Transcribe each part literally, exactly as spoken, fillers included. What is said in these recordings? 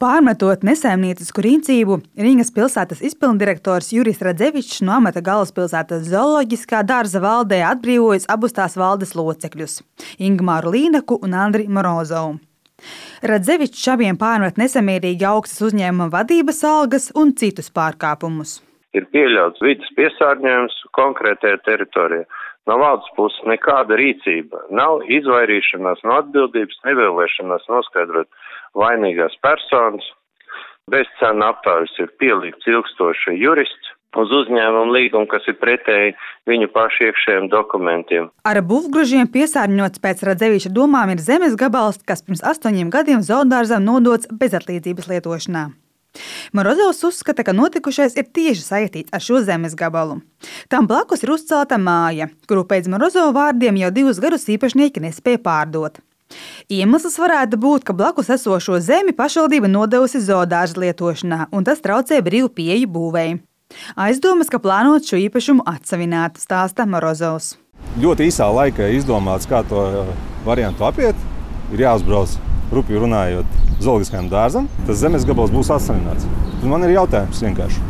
Pārmetot nesaimniecisku rīcību, Rīgas pilsētas izpilddirektors Juris Radzevičs no amata galvaspilsētas zooloģiskā dārza valdē atbrīvojas abus tās valdes locekļus – Ingmāru Līnaku un Andri Morozovu. Radzevičs abiem pārmet nesamierīgi augstas uzņēmuma vadības algas un citus pārkāpumus. Ir pieļauts vides piesārņojums konkrētajā teritorijā. No valdes puses nekāda rīcība, nav izvairīšanās no atbildības, nevēlēšanās noskaidrot vainīgās personas. Bezcena aptāvis ir pielikts ilgstoši jurists uz uzņēmumu līgumu, kas ir pretēji viņu pašu iekšējiem dokumentiem. Ar būvgružiem piesārņots pēc Radzeviča domām ir zemes gabals, kas pirms astoņiem gadiem zoodārzam nodots bezatlīdzības lietošanā. Morozovs uzskata, ka notikušais ir tieši saistīts ar šo zemes gabalu. Tam blakus ir uzcelta māja, kuru pēc Morozova vārdiem jau divus gadus īpašnieki nespēja pārdot. Iemesls varētu būt, ka blakus esošo zemi pašvaldība nodevusi zoodārza lietošanā, un tas traucē brīvu pieeju būvēji. Aizdomas, ka plānot šo īpašumu atsavināt, stāsta Morozovs. Ļoti īsā laikā izdomāts, kā to variantu apiet, ir jāuzbrauc, rupi runājot, zooloģiskajam dārzam, tas zemes gabals būs atsavināts. Tad man ir jautājums vienkārši,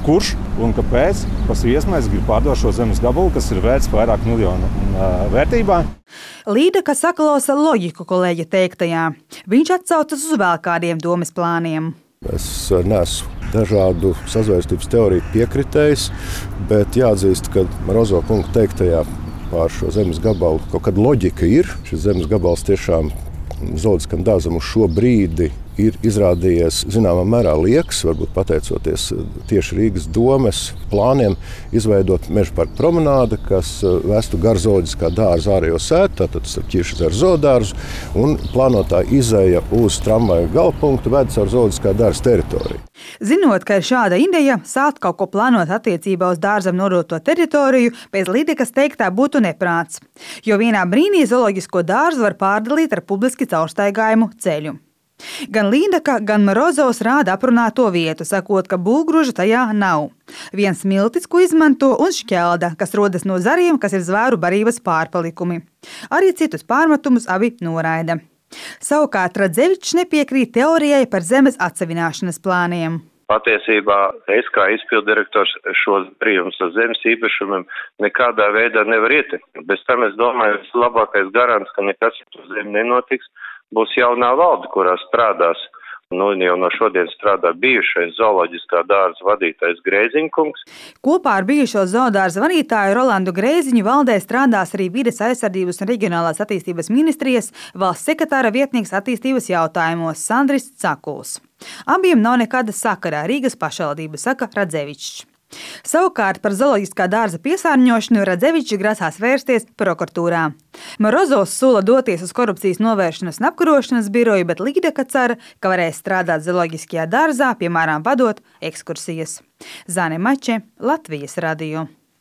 kurš un kāpēc pas viesmais grib pārdot šo zemes gabalu, kas ir vērts vairāk miljonu vērtībā? Līdaka saklausa loģiku kolēģa teiktajā. Viņš atsaucas uz vēl kādiem domas plāniem. Es neesmu dažādu sazvērstības teoriju piekritējis, bet jāatzīst, ka Morozova kunga teiktajā pār šo zemes gabalu kaut kāda loģika ir. Šis zemes gabals tiešām zooloģiskam dārzam uz šo brīdi ir izrādījies zināmā mērā lieks, varbūt pateicoties tieši Rīgas domes plāniem izveidot meža parka promenādi, kas vestu gar zooloģiskā dārza ārējo sētu, tātad starp Ķiršezeru zoodārzu, un plānotā izeja uz tramvaju galpunktu ved caur zooloģiskā dārza teritoriju. Zinot, ka ir šāda ideja, sākt kaut ko plānot attiecībā uz dārzam nodoto teritoriju, pēc Līdakas teiktā būtu neprāts, jo vienā brīnī zooloģisko dārzu var pārdalīt ar publiski caurstaigājumu ceļu. Gan Līdaka, gan Morozovs rāda aprunāto vietu, sakot, ka būvgruža tajā nav. Viens miltis, ko izmanto, un šķelda, kas rodas no zariem, kas ir zvēru barības pārpalikumi. Arī citus pārmetumus abi noraida. Savukārt Radzevičs nepiekrīt teorijai par zemes atsavināšanas plāniem. Patiesībā es kā izpilddirektors šos brīvumus ar zemes īpašumiem nekādā veidā nevar ieteikt. Bez tam es domāju, ka labākais garants, ka nekas ar zemi nenotiks, būs jaunā valde, kurā strādās. Nu, jau no šodien strādā bijušais zooloģiskā dārza vadītājs Grēziņkungs. Kopā ar bijušo zoodārza vadītāju Rolandu Grēziņu valdē strādās arī Vides aizsardzības un reģionālās attīstības ministrijas valsts sekretāra vietnieks attīstības jautājumos Sandris Cakuls. Abiem nav nekāda sakara Rīgas pašvaldība, saka Radzevičs. Savukārt par zooloģiskā dārza piesārņošanu Radzevičs grasās vērsties prokuratūrā. Morozovs sola doties uz korupcijas novēršanas un apkarošanas biroju, bet Līdaka cer, ka varēs strādāt zooloģiskajā dārzā, piemēram, vadot ekskursijas. Zane Mače, Latvijas radio.